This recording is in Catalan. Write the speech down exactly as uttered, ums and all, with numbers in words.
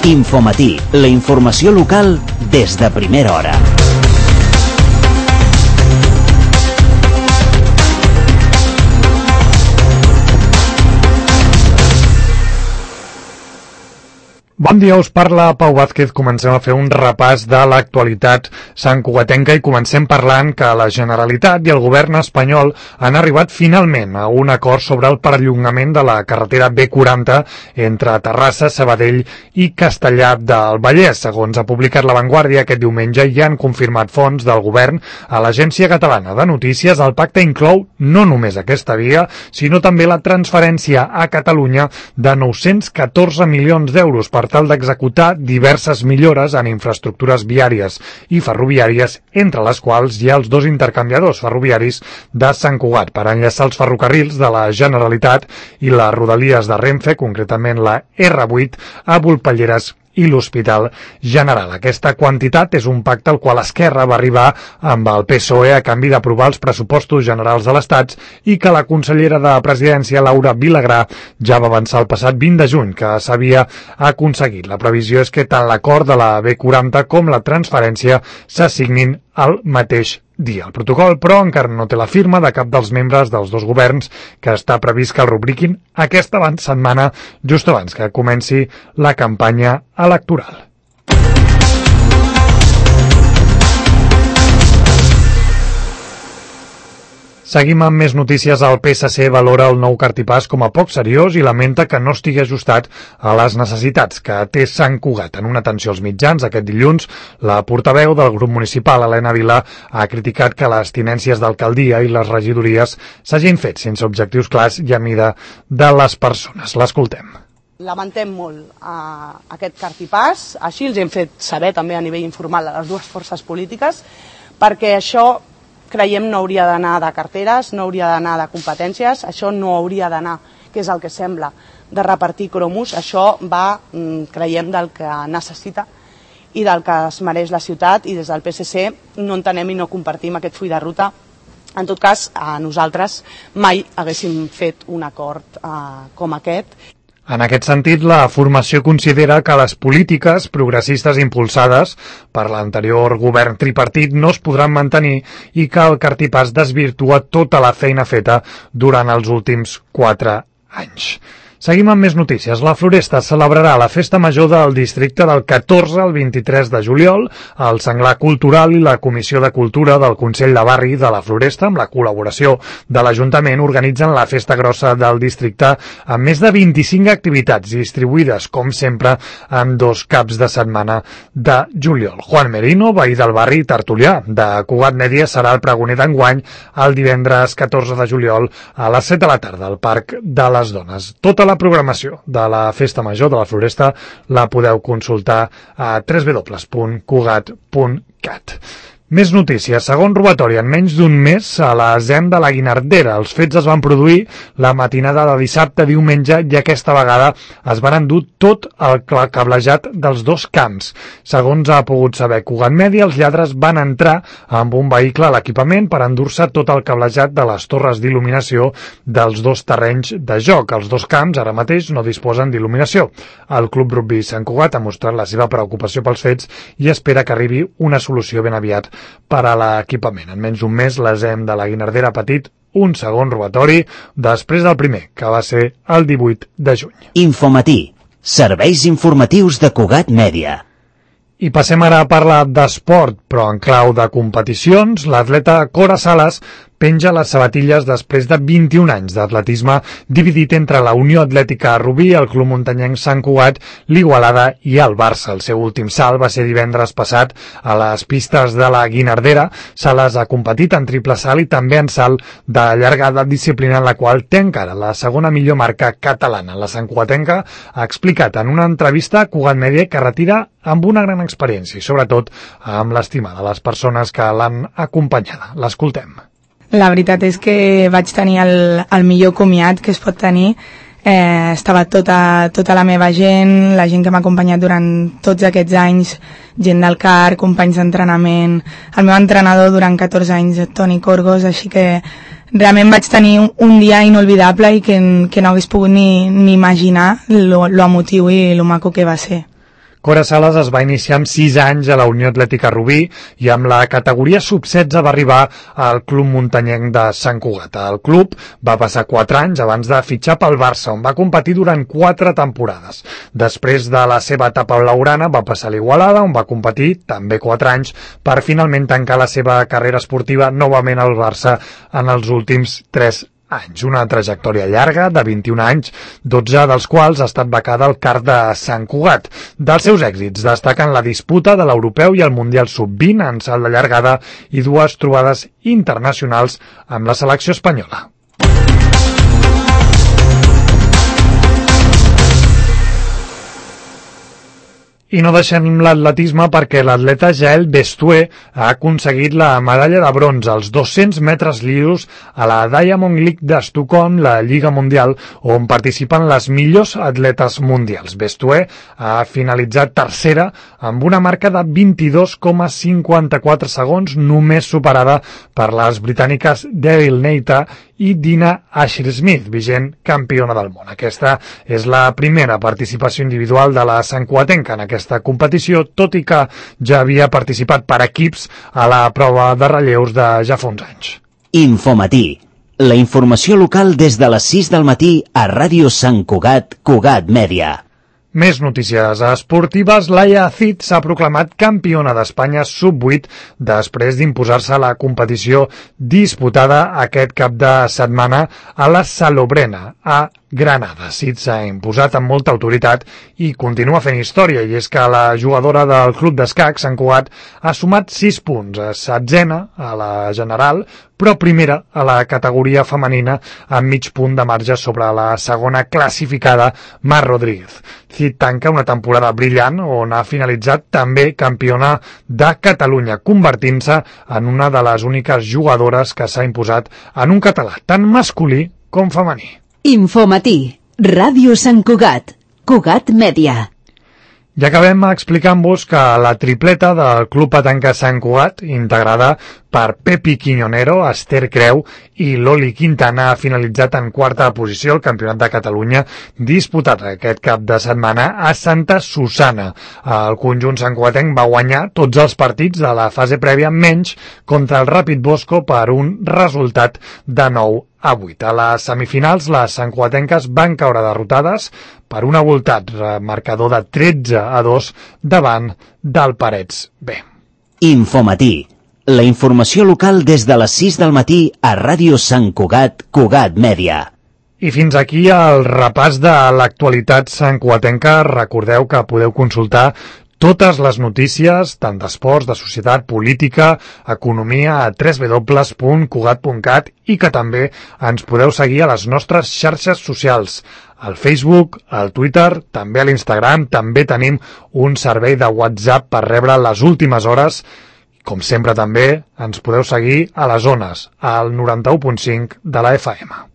Infomatí, la informació local des de primera hora. Bon dia, us parla Pau Vázquez. Comencem a fer un repàs de l'actualitat santcugatenca i comencem parlant que la Generalitat i el govern espanyol han arribat finalment a un acord sobre el perllongament de la carretera B quaranta entre Terrassa, Sabadell i Castellar del Vallès. Segons ha publicat La Vanguardia aquest diumenge, ja han confirmat fonts del govern a l'Agència Catalana de Notícies. El pacte inclou no només aquesta via, sinó també la transferència a Catalunya de nou-cents catorze milions d'euros per tal d'executar diverses millores en infraestructures viàries i ferroviàries, entre les quals hi ha els dos intercanviadors ferroviaris de Sant Cugat per enllaçar els ferrocarrils de la Generalitat i les rodalies de Renfe, concretament la erre vuit, a Volpelleres i l'Hospital General. Aquesta quantitat és un pacte al qual Esquerra va arribar amb el P S O E a canvi d'aprovar els pressupostos generals de l'Estat i que la consellera de Presidència, Laura Vilagrà, ja va avançar el passat vint de juny que s'havia aconseguit. La previsió és que tant l'acord de la B quaranta com la transferència s'assignin al mateix dia. El protocol, però, encara no té la firma de cap dels membres dels dos governs, que està previst que el rubriquin aquesta setmana, just abans que comenci la campanya electoral. Seguim amb més notícies. El P S C valora el nou cartipàs com a poc seriós i lamenta que no estigui ajustat a les necessitats que té Sant Cugat. En una atenció als mitjans aquest dilluns, la portaveu del grup municipal, Helena Vila, ha criticat que les tinències d'alcaldia i les regidories s'hagin fet sense objectius clars i a mida de les persones. L'escoltem. Lamentem molt uh, aquest cartipàs, així els hem fet saber també a nivell informal a les dues forces polítiques, perquè això creiem no hauria d'anar de carteres, no hauria d'anar de competències, això no hauria d'anar, que és el que sembla, de repartir cromos. Això va, creiem, del que necessita i del que es mereix la ciutat, i des del P S C no entenem i no compartim aquest full de ruta. En tot cas, a nosaltres mai haguéssim fet un acord eh, com aquest. En aquest sentit, la formació considera que les polítiques progressistes impulsades per l'anterior govern tripartit no es podran mantenir i que el cartipàs desvirtua tota la feina feta durant els últims quatre anys. Seguim amb més notícies. La Floresta celebrarà la festa major del districte del catorze al vint-i-tres de juliol. El Senglar Cultural i la Comissió de Cultura del Consell de Barri de la Floresta, amb la col·laboració de l'Ajuntament, organitzen la festa grossa del districte amb més de vint-i-cinc activitats distribuïdes, com sempre, en dos caps de setmana de juliol. Juan Merino, veí del barri tertulià de Cugat Mèdia, serà el pregoner d'enguany el divendres catorze de juliol a les set de la tarda al Parc de les Dones. Tota la programació de la Festa Major de la Floresta la podeu consultar a w w w punt cugat punt cat. Més notícies. Segon robatori en menys d'un mes a la Z E M de la Guinardera. Els fets es van produir la matinada de dissabte a diumenge i aquesta vegada es van endur tot el cablejat dels dos camps. Segons ha pogut saber Cugat Mèdia, els lladres van entrar amb un vehicle a l'equipament per endur-se tot el cablejat de les torres d'il·luminació dels dos terrenys de joc. Els dos camps ara mateix no disposen d'il·luminació. El Club Rugby Sant Cugat ha mostrat la seva preocupació pels fets i espera que arribi una solució ben aviat per a l'equipament. En menys d'un mes, la Z E M de la Guinardera ha patit un segon robatori després del primer, que va ser el divuit de juny. Infomatí, serveis informatius de Cugat Mèdia. I passem ara a parlar d'esport, però en clau de competicions. L'atleta Cora Sales penja les sabatilles després de vint-i-un anys d'atletisme dividit entre la Unió Atlètica Rubí, el Club Muntanyenc Sant Cugat, l'Igualada i el Barça. El seu últim salt va ser divendres passat a les pistes de la Guinardera. Sales ha competit en triple salt i també en salt de llargada, disciplina en la qual té encara la segona millor marca catalana. La santcugatenca ha explicat en una entrevista a Cugat Mèdia que retira amb una gran experiència i sobretot amb l'estima de les persones que l'han acompanyada. L'escoltem. La veritat és que vaig tenir el, el millor comiat que es pot tenir. Eh, estava tota, tota la meva gent, la gent que m'ha acompanyat durant tots aquests anys, gent del C A R, companys d'entrenament, el meu entrenador durant catorze anys, Toni Corgos, així que realment vaig tenir un, un dia inolvidable i que, que no hagués pogut ni, ni imaginar lo, lo emotiu i lo maco que va ser. Cora Sales es va iniciar amb sis anys a la Unió Atlètica Rubí i amb la categoria sub setze va arribar al Club Muntanyenc de Sant Cugat. El club va passar quatre anys abans de fitxar pel Barça, on va competir durant quatre temporades. Després de la seva etapa blaugrana va passar a l'Igualada, on va competir també quatre anys per finalment tancar la seva carrera esportiva novament al Barça en els últims tres anys. Una trajectòria llarga de vint-i-un anys, dotze dels quals ha estat becada al Kart de Sant Cugat. Dels seus èxits destaquen la disputa de l'Europeu i el Mundial sub vint en salt de llargada i dues trobades internacionals amb la selecció espanyola. I no deixem l'atletisme perquè l'atleta Jael Bestué ha aconseguit la medalla de bronze als dos-cents metres llisos a la Diamond League d'Estocolm, la Lliga Mundial, on participen les millors atletes mundials. Bestué ha finalitzat tercera amb una marca de vint-i-dos coma cinquanta-quatre segons, només superada per les britàniques Daryl Neita i Dina Asher-Smith, vigent campiona del món. Aquesta és la primera participació individual de la santcugatenca en aquesta competició, tot i que ja havia participat per equips a la prova de relleus de ja fa uns anys. Infomatí. La informació local des de les sis del matí a Ràdio Sant Cugat, Cugat Mèdia. Més notícies esportives. Laia Cid s'ha proclamat campiona d'Espanya sub vuit després d'imposar-se a la competició disputada aquest cap de setmana a la Salobrena, a Granada. Cid s'ha imposat amb molta autoritat i continua fent història, i és que la jugadora del Club d'Escacs, Sant Cugat, ha sumat sis punts, a setzena a la general, però primera a la categoria femenina amb mig punt de marge sobre la segona classificada, Mar Rodríguez. Cid tanca una temporada brillant on ha finalitzat també campiona de Catalunya, convertint-se en una de les úniques jugadores que s'ha imposat en un català tant masculí com femení. Infomatí, Ràdio Sant Cugat, Cugat Mèdia. I acabem explicant-vos que la tripleta del Club Petanca Sant Cugat, integrada per Pepi Quiñonero, Esther Creu i Loli Quintana, ha finalitzat en quarta posició al Campionat de Catalunya disputat aquest cap de setmana a Santa Susana. El conjunt santcugatenc va guanyar tots els partits de la fase prèvia, menys contra el Ràpid Bosco per un resultat de nou a vuit. A les semifinals, les santcugatenques van caure derrotades per un avoltat marcador de tretze a dos davant del Parets B. Infomatí. La informació local des de les sis del matí a Ràdio Sant Cugat, Cugat Mèdia. I fins aquí el repàs de l'actualitat santcugatenca. Recordeu que podeu consultar totes les notícies, tant d'esports, de societat, política, economia, a w w w punt cugat punt cat i que també ens podeu seguir a les nostres xarxes socials, al Facebook, al Twitter, també a l'Instagram. També tenim un servei de WhatsApp per rebre les últimes hores. Com sempre també ens podeu seguir a les ones, al noranta-u punt cinc de la F M.